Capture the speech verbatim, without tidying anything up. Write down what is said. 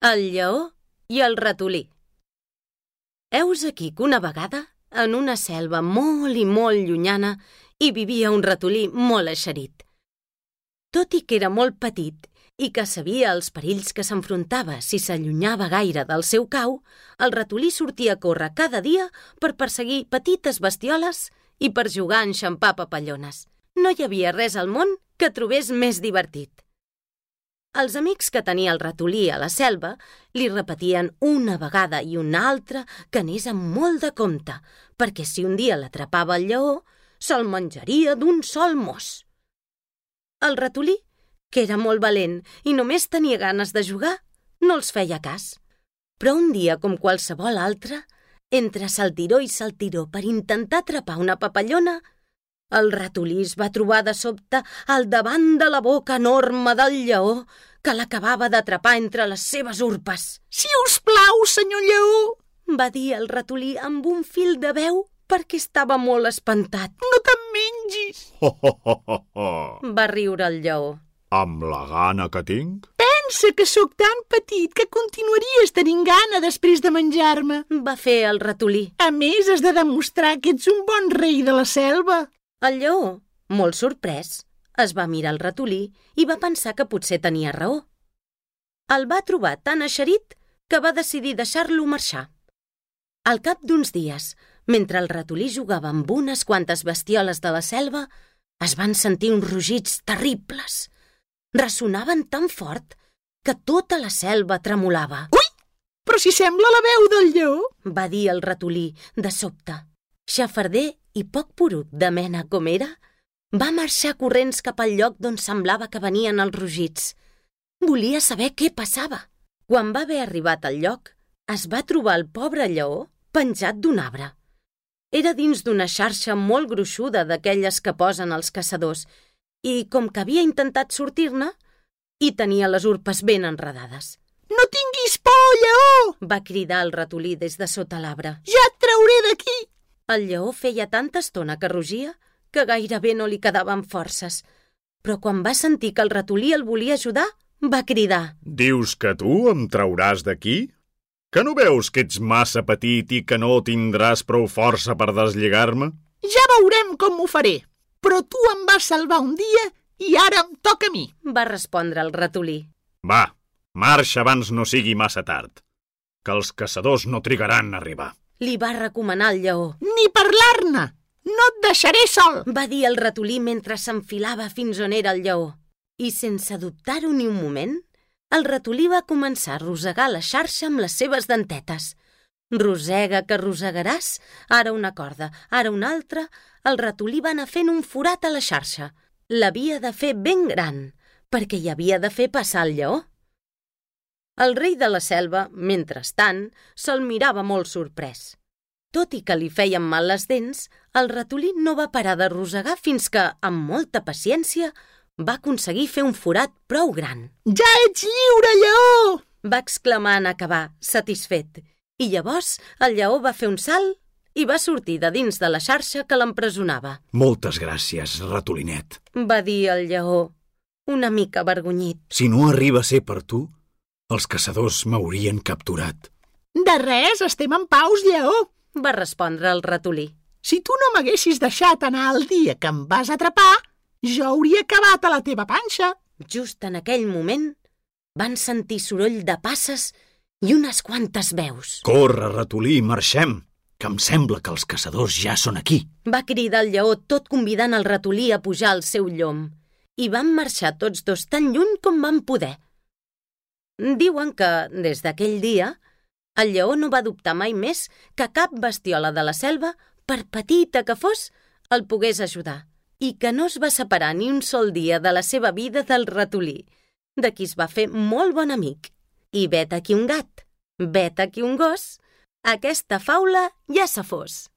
El lleó i el ratolí. Heus aquí que una vegada, en una selva molt i molt llunyana, hi vivia un ratolí molt eixerit. Tot i que era molt petit i que sabia els perills que s'enfrontava si s'allunyava gaire del seu cau, el ratolí sortia a córrer cada dia per perseguir petites bestioles i per jugar a enxampar papallones. No hi havia res al món que trobés més divertit. Els amics que tenia el ratolí a la selva li repetien una vegada i una altra que anés amb molt de compte, perquè si un dia l'atrapava el lleó, se'l menjaria d'un sol mos. El ratolí, que era molt valent i només tenia ganes de jugar, no els feia cas. Però un dia, com qualsevol altre, entre saltiró i saltiró per intentar atrapar una papallona, el ratolí es va trobar de sobte al davant de la boca enorme del lleó que l'acabava d'atrapar entre les seves urpes. «Si us plau, senyor lleó!», va dir el ratolí amb un fil de veu perquè estava molt espantat. «No te'n mengis!», Ho, ho, ho, ho, ho. va riure el lleó. Amb la gana que tinc? «Pensa que sóc tan petit que continuaries tenint gana després de menjar-me. Va fer el ratolí. A més, has de demostrar que ets un bon rei de la selva». El lleó, molt sorprès, es va mirar el ratolí i va pensar que potser tenia raó. El va trobar tan eixerit que va decidir deixar-lo marxar. Al cap d'uns dies, mentre el ratolí jugava amb unes quantes bestioles de la selva, es van sentir uns rugits terribles. Ressonaven tan fort que tota la selva tremolava. «Ui! Però si sembla la veu del lleó!», va dir el ratolí de sobte. Xafarder i poc porut de mena com era, va marxar corrents cap al lloc d'on semblava que venien els rugits. Volia saber què passava. Quan va haver arribat al lloc, es va trobar el pobre lleó penjat d'un arbre. Era dins d'una xarxa molt gruixuda d'aquelles que posen els caçadors i, com que havia intentat sortir-ne, hi tenia les urpes ben enredades. «No tinguis por, lleó!», va cridar el ratolí des de sota l'arbre. «Ja et trauré d'aquí!» El lleó feia tanta estona que rugia que gairebé no li quedaven forces. Però quan va sentir que el ratolí el volia ajudar, va cridar. Dius que tu em trauràs d'aquí? Que no veus que ets massa petit i que no tindràs prou força per deslligar-me? «Ja veurem com ho faré, però tu em vas salvar un dia i ara em toca a mi», va respondre el ratolí. Va, marxa abans no sigui massa tard, que els caçadors no trigaran a arribar. Li va recomanar el lleó. «Ni parlar-ne! No et deixaré sol!», va dir el ratolí mentre s'enfilava fins on era el lleó. I sense dubtar-ho ni un moment, el ratolí va començar a rosegar la xarxa amb les seves dentetes. Rosega que rosegaràs, ara una corda, ara una altra, el ratolí va anar fent un forat a la xarxa. L'havia de fer ben gran, perquè hi havia de fer passar el lleó. El rei de la selva, mentrestant, se'l mirava molt sorprès. Tot i que li feien mal les dents, el ratolí no va parar de rosegar fins que, amb molta paciència, va aconseguir fer un forat prou gran. «Ja ets lliure, lleó!», va exclamar en acabar, satisfet. I llavors el lleó va fer un salt i va sortir de dins de la xarxa que l'empresonava. Moltes gràcies, ratolinet, va dir el lleó, una mica avergonyit. Si no arriba a ser per tu, els caçadors m'haurien capturat. «De res, estem en paus, lleó», va respondre el ratolí. «Si tu no m'haguessis deixat anar el dia que em vas atrapar, jo hauria acabat a la teva panxa». Just en aquell moment van sentir soroll de passes i unes quantes veus. «Corre, ratolí, marxem, que em sembla que els caçadors ja són aquí», va cridar el lleó, tot convidant el ratolí a pujar al seu llom. I van marxar tots dos tan lluny com van poder. Diuen que, des d'aquell dia, el lleó no va dubtar mai més que cap bestiola de la selva, per petita que fos, el pogués ajudar, i que no es va separar ni un sol dia de la seva vida del ratolí, de qui es va fer molt bon amic. I vet aquí un gat, vet aquí un gos, aquesta faula ja se fos.